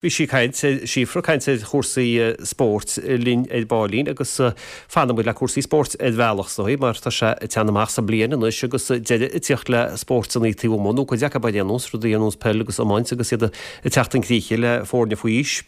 Bhí sí ag caint ar, Síofra, ag caint ar chúrsaí spóirt linn ar baillín agus fanfaidh muid le cúrsaí spóirt ar bhealach is dóigh mar tá sé ag teannadh amach sa bliain anois agus deireadh ag tíocht le spórtanna taobh amuigh nó cuid acu ar aon nós, rudaí ar nós peil agus iomáint agus iad ag teacht chun críche le foirne faoi aois.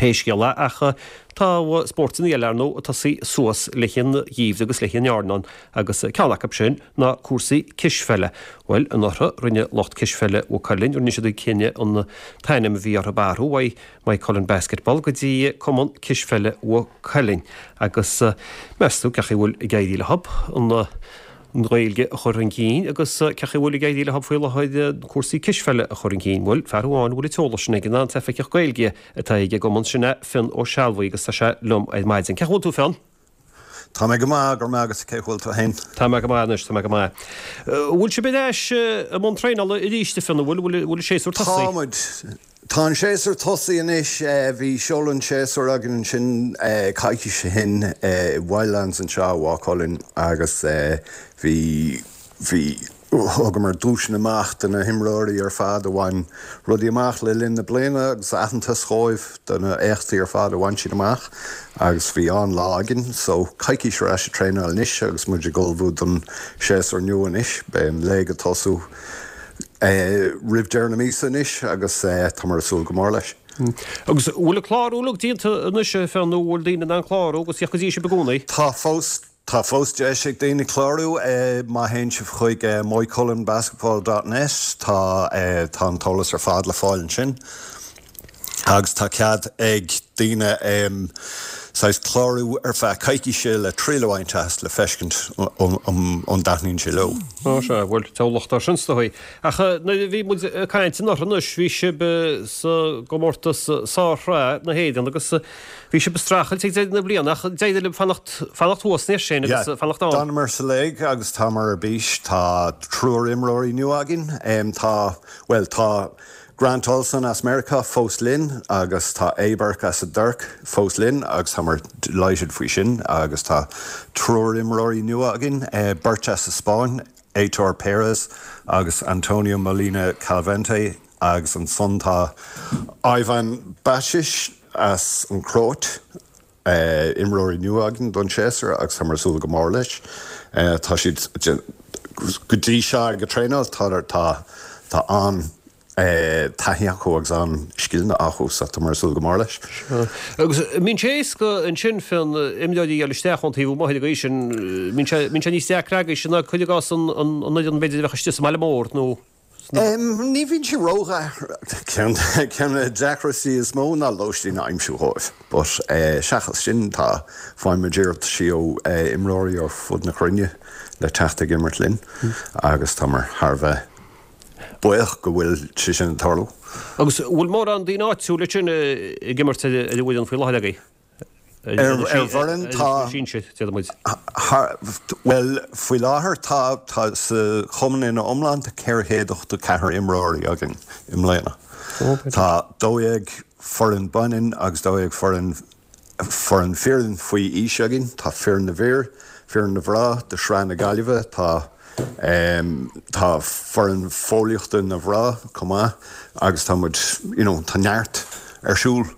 Pé scéal é ach tá spórtanna eile ar ndóigh ag tosaí suas le an gheimhreadh agus le an airneán agus ceann acu sin ná cúrsaí cispheile. Bhuel, anuraidh, rinne lucht cispheile Mhaigh Cuilinn, rinne siad an cinneadh an t-ainm a bhí orthu a athrú uaidh Maigh Cuilinn Basketball go dtí Cumann Cispheile Mhaigh Cuilinn. Agus meas tú cén chaoi a bhfuil ag éirí leo an Ghaeilge a chur chun cinn agus cén chaoi a bhfuil ag éirí leo faoi láthair cúrsaí cispheile a chur chun cinn? Bhuel, fear amháin a bhfuil an t-eolas sin aige ná an tOifigeach Gaeilge atá ag an gcumann, sin é Fionn Ó Sealbhaigh agus tá sé liom ar maidin. Cén chaoi a bhfuil tú, Fionn? Tá mé go maith, go raibh maith agat, cén chaoi a bhfuil tú féin? Tá mé go maith anois, tá mé go maith. An bhfuil sibh ar ais i mbun traenála arís, a Fhionn, an bhfuil, an bhfuil an séasúr tosaithe? Tá muid. Tá an séasúr tosaithe anois. Bhí seoladh an tséasúir againn ansin coicís ó shin i Wildlands anseo i Maigh Cuilinn agus bhí, bhí, Thugamar duaiseanna amach do na himreoirí ar fad a bhain rudaí amach le linn na bliana agus aitheantas dhóibh do na éachtaí ar fad a bhain siad amach agus bhí an-lá againn. So, coicís ar ais ag traenáil anois agus muid ag ullmhú don séasúr nua anois. Beidh an léig ag tosú roimh deireadh na míosa anois agus táimid ag súil go mór leis. Agus an bhfuil an clárú uilig déanta anois, a Fhionn, nó an bhfuil daoine in ann clárú agus theacht go dtí sibh i gcónaí? Tá fós. Tá fós deis ag daoine clárú. Má théann sibh chuig moycullenbasketball dot net tá tá an t-eolas ar fad le fáil ansin. Agus tá cead ag daoine saghas clárú ar feadh coicíse le triail a bhaint as le feiscint an dtaitníonn sé leo. Ó sea, bhuel, deabhal locht air sin is dóigh. Ach nuair a bhí muid ag caint anuraidh anois bhí sibh sa gcomórtas Sár-Shraith na hÉireann agus Bhí sibh ag streachailt ag deireadh na bliana ach d'éirigh libh fanacht, fanacht thuas níos sin agus Yeah, fanacht ann. D'fhanamar sa léig agus táimid ar bís. Tá triúr imreoirí nua againn. Tá, bhuel, tá Grant Olson as Meiriceá fós linn agus tá Abe as an dTuirc fós linn agus táimid delighted faoi sin agus tá triúr imreoirí nua againn, beirt as an Spáinn, Aitor Perez agus Antonio Molina Calvente agus ansan tá Ivan Bacic as an Chróit, imreoirí nua againn don séasúr agus táimid ag súil go mór leis. Tá siad go dtí seo ag traenáil, tá tá an taithí acu agus an scileanna acu so táimid ag súil go mór leis. Agus an mbíonn sé éasca ansin Fionn imreoirí a fháil isteach ón taobh amuigh ar an gcaoi sin, mbíonn sé mbíonn sé níos deacra agaibhse ná cuir i gcás an an fhoireann b'fhéidir a bheadh istigh sa mbaile mór nó Ní bhíonn sé ródheacair. Ceann de na deacrachtaí is mó ná lóistín a aimsiú dhóibh. But seachas sin tá, faighimid iarrataisí ó imreoirí ar fud na cruinne le teacht ag imirt linn agus táimid thar a bheith buíoch go bhfuil sé sin ag tarlú. Agus an bhfuil mórán daoine áitiúla ansin ag imirt ar an bhfoireann faoi láthair agaibh? Ar bhfoireann tá, bhuel, faoi láthair tá, tá sa chumann ina iomlán tá 484 imreoirí againn i mbliana. Tá 12 foireann baineann agus 12 foireann, foireann fireann faoi aois againn. Tá foireann na bhfir, foireann na mná de Shraith na Gaillimhe, tá, tá foireann fóillíochta na mná chomh maith agus tá muid, you know, tá neart ar siúl.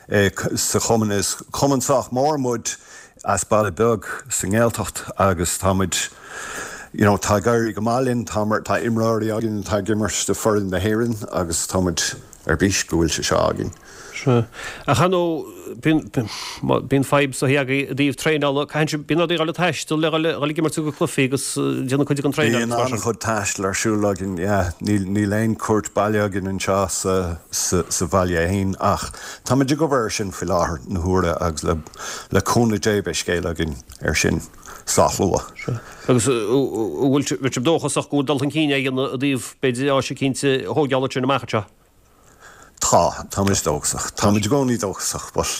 Sa chumann. Is cumann sách mór muid as baile beag sa nGaeltacht agus tá muid, you know, tá ag éirí go maith linn, tá, tá imreoirí againn atá ag imirt do foireann na hÉireann agus tá muid ar bís go bhfuil sé seo againn. Sea. Ach ar ndóigh, bíonn, bíonn fadhb is dóichí agaibh i dtaobh traenála, caitheann sibh, bíonn oraibh a dhul ag taisteal le dhul, dhul ag imirt ag cluichí agus déanamh cuid den traenáil agus mar sin. Bíonn an-chuid taistil ar siúl againn, yeah. Níl, níl aon chúirt baile againn anseo sa, sa, sa bhaile fhéin ach táimid ag obair ar sin faoi láthair na huaire agus le, le cúnamh Dé beidh scéal againn ar sin sách luath. Sea. Agus an bhfuil sibh dóchasach go bhfuil dul chun cinn á dhéanamh i dtaobh, b'fhéidir, áis eicínt a thóigeáil ansin amach anseo? Tá, táimid dóchasach. Táimid i gcónaí dóchasach but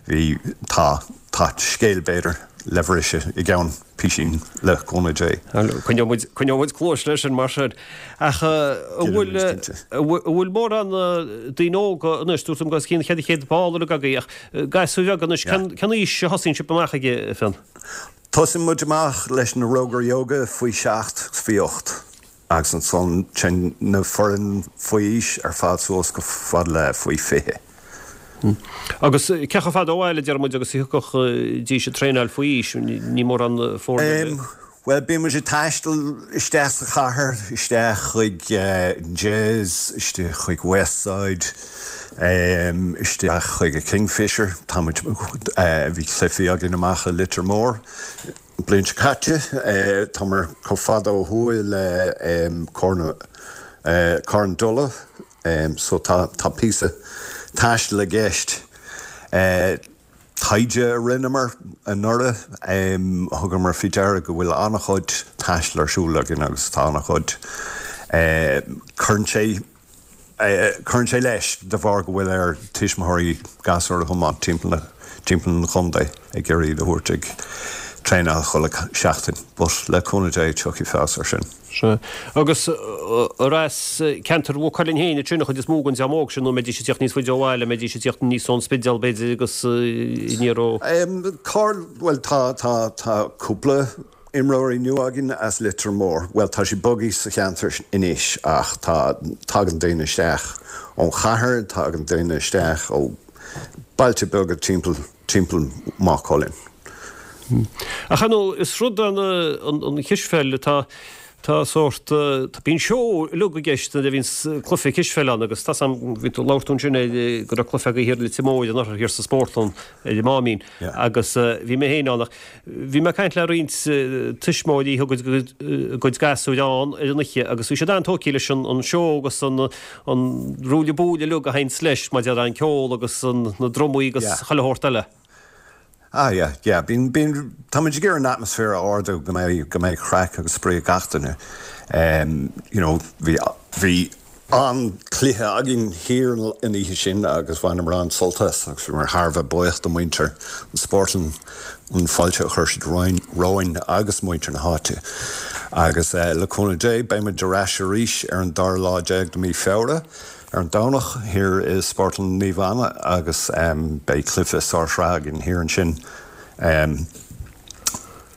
bhí, tá, tá scéal b'fhéidir le bhriseadh i gceann písín le cúnamh Dé. Coinneoidh muid, coinneoidh muid cluais leis sin mar sin. Ach an bhfuil, an bhfuil mórán daoine óga anois, dúirt tú go raibh os cionn 400 ball uilig agaibh ach gasúir bheaga anois, cén, cén aois a thosaíonn sibh amach ag, a Fhionn? Tosaíonn muid amach leis na Rógairí Óga faoi sheacht, faoi ocht. Agus ansan téann na foireann faoi aois ar fad suas go fad le faoi 20. Agus cé chomh fada ó bhaile, deir muid, agus a thiocfadh dís ag traenáil faoi aois? Ní mórán foirne. Bhuel, bíonn muid ag taisteal isteach sa chathair, isteach chuig Jez, isteach chuig Westside, isteach chuig an Kingfisher. Tá muid, bhí cluichí againn amach i Leitir Móir an bhliain seo caite. Táimid chomh fada ó thuaidh le Carn Dola, so tá píosa taistil i gceist. Taighde a rinneamar anuraidh, thugamar faoi deara go bhfuil an-chuid taistil ar siúl againn agus tá an-chuid, cuireann sé, cuireann sé leis de bharr go bhfuil ar tuismitheoirí gasúir a thiomáint timpeall na, timpeall an chontae ag iarraidh iad a thabhairt ag traenáil chuile sheachtain. But le cúnamh Dé tiocfaidh feabhas ar sin. Sea. Agus ar as ceantar Mhaigh Cuilinn féin ansin an chuid is mó den dream óg sin nó an mbeidís ag tíocht níos faide ó bhaile, an mbeidís ag tíocht aníos ón Spidéal b'fhéidir agus aniar ó. Carl, Bhuel tá, tá, tá cúpla imreoirí nua againn as Leitir Móir. Bhuel tá siad bogtha sa cheantar anois ach tá, tagann daoine isteach ón chathair, tagann daoine isteach ó bailte beaga timpeall. timpeall Maigh Cuilinn. Ach ar ndóigh, is rud an an chispheil atá tá sórt tá bíonn seó uilig i gceist nuair a bhíonns cluiche cispheile ann agus tá 's a'm bhí tú labhair tú ansin ar go raibh cluiche agaibh thiar i Leitir Móir anuraidh thiar sa spórtlann ar an Máimín agus bhí mé féin ann ach bhí mé ag caint le roinnt tuismitheoirí a thug a gcuid gasúir ann ar an oíche agus bhí siad an-tógtha leis an an seó agus an an ruaille buaille uilig a théanns leis, maidir le an ceol agus na drumaí agus chuile shórt eile. Ah yeah, yeah, bíonn, bíonn, tá muid ag iarraidh an atmaisféar a ardú, go mbeidh, go mbeidh craic agus spraoi ag gach duine. You know, bhí, bhí an-chluiche againn thiar an oíche sin agus bhaineamar an-sult as agus bhíomar thar a bheith buíoch do mhuintir an Spórtlann an fáilte a chuir siad romhainn agus muintir na háite. Agus le cúnamh Dé, beidh muid ar ais arís ar an dara lá déag de mhí Feabhra, ar an Domhnach, thiar i Spórtlann Naomh Anna agus beidh cluiche sár-shraithe againn thiar ansin.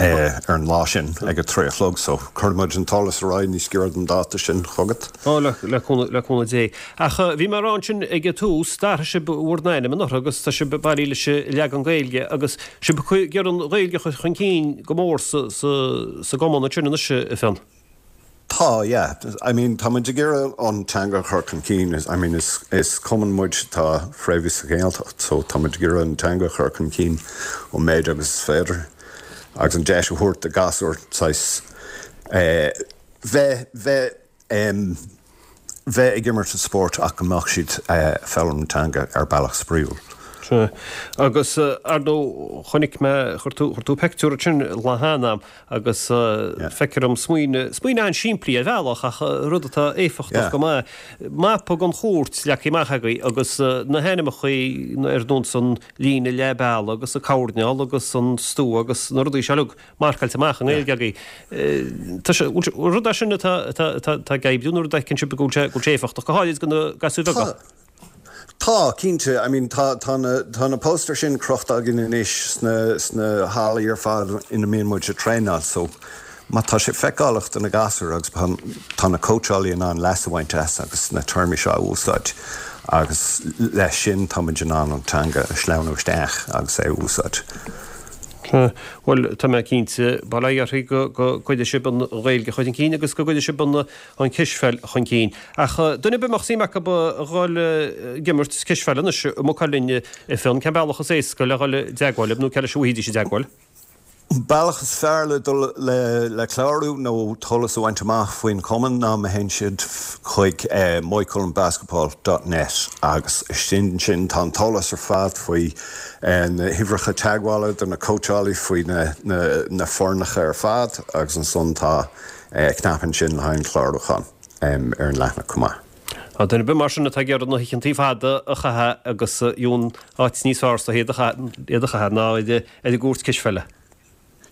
Ar an lá sin ag a trí a chlog so cuirfidh muid an t-eolas ar aghaidh níos giorra don dáta sin chugat. Ó, le cúnamh Dé. Ach bhí mé ag rá ansin ag an tús, d'athraigh sibh bhur n-ainm anuraidh agus tá sibh bailithe leis an leagan Gaeilge agus sibh ag iarraidh an Ghaeilge a chur chun cinn go mór sa gcumann ansin anois, a Fhionn. Tá, yeah. I mean, tá muid ag iarraidh an teanga a chur chun cinn. I mean, is, is cumann muid atá fréamhaithe sa Ghaeltacht, so tá muid ag iarraidh an teanga a chur chun cinn an méid agus is féidir agus an deis a thabhairt do ghasúir saghas eh bheith, bheith em bheith ag imirt an spóirt ach go mbeadh siad eh foghlaim an teanga ar bealach spraíúil. Sea. Agus ar ndóigh chonaic mé, chuir tú, chuir tú peictiúr ansin lá cheana a'm Agus feictear dom smaoineamh, smaoineamh an-simplí ar bhealach ach rud atá éifeachtach go maith, mapa den chúirt leagtha amach agaibh agus na hainmneacha ar nós an líne leath bealaigh agus an coirnéal agus an stua agus na rudaí seo uilig marcáilte amach i nGaeilge agaibh. Tá sé, rud é sin atá, atá, atá ag oibriú nó rud a fheiceann sibh go bhfuil sé, go bhfuil sé éifeachtach, go háirid do na gasúir bheaga? Tá, cinnte. I mean, tá, tá na, tá na póstaeir sin crochta againn anois sna, sna hallaí ar fad ina mbíonn muid ag traenáil so má tá sé feiceálach do na gasúir agus tá, tá na cóitseálaí in ann leas a bhaint as agus na téarmaí seo a úsáid agus leis sin tá muid in ann an teanga a shleamhnú isteach agus é a úsáid. Sea, bhuel, tá mé cinnte, bail ó Dhia oraibh go, go gcuirfidh sibh an Ghaeilge chun cinn agus go gcuirfidh sibh an, an cispheil chun cinn. Ach duine ar bith a mbeadh suim acu a dhul ag imirt cispheile anois i Maigh Cuilinn, a Fhionn, cén bealach is éasca le dhul i dteagmháil libh nó cé leis a bhfaighidís i dteagmháil? An bealach is fearr le dul le clárú nó t-eolas a bhaint amach faoin chumann ná má théann siad chuig moycullenbasketball dot net agus istigh ansin tá an t-eolas ar fad faoi na huimhreacha teagmhála do na cóitseálaí faoi na foirneacha ar fad agus ansan tá Cnaipe ansin le haghaidh an chlárúchán ar an leathanach chomh maith. Tá duine ar bith mar sin atá ag iarraidh na hoícheantaí fada a chaitheamh agus gheobhaidh áit níos fearr sa iad a chaitheamh ná ar an gcúirt cispheile.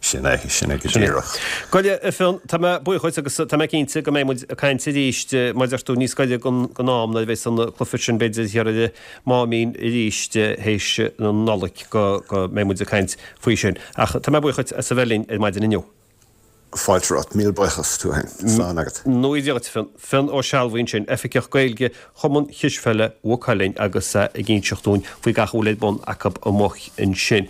Sin é, sin é go díreach. Go leor, a Fhionn, tá mé buíoch dhuit agus tá mé cinnte go mbeidh muid ag caint arís mar a deir tú níos gaire don am nuair a bheas an cluiche sin b'fhéidir thiar ar an Máimín arís théis na Nollag go mbeidh muid ag caint faoi sin. Ach tá mé buíoch dhuit as a bheith linn ar maidin inniu. Fáilte romhat. Míle buíochas, tú féin. Slán agat. Ní Dia dhuit, Fionn. Fionn Ó Sealbhaigh ansin, Oifigeach Gaeilge Chumann Chispheile Mhaigh Cuilinn agus ag inseacht dúinn faoi gach a bhfuil ar bun acu amuigh ansin.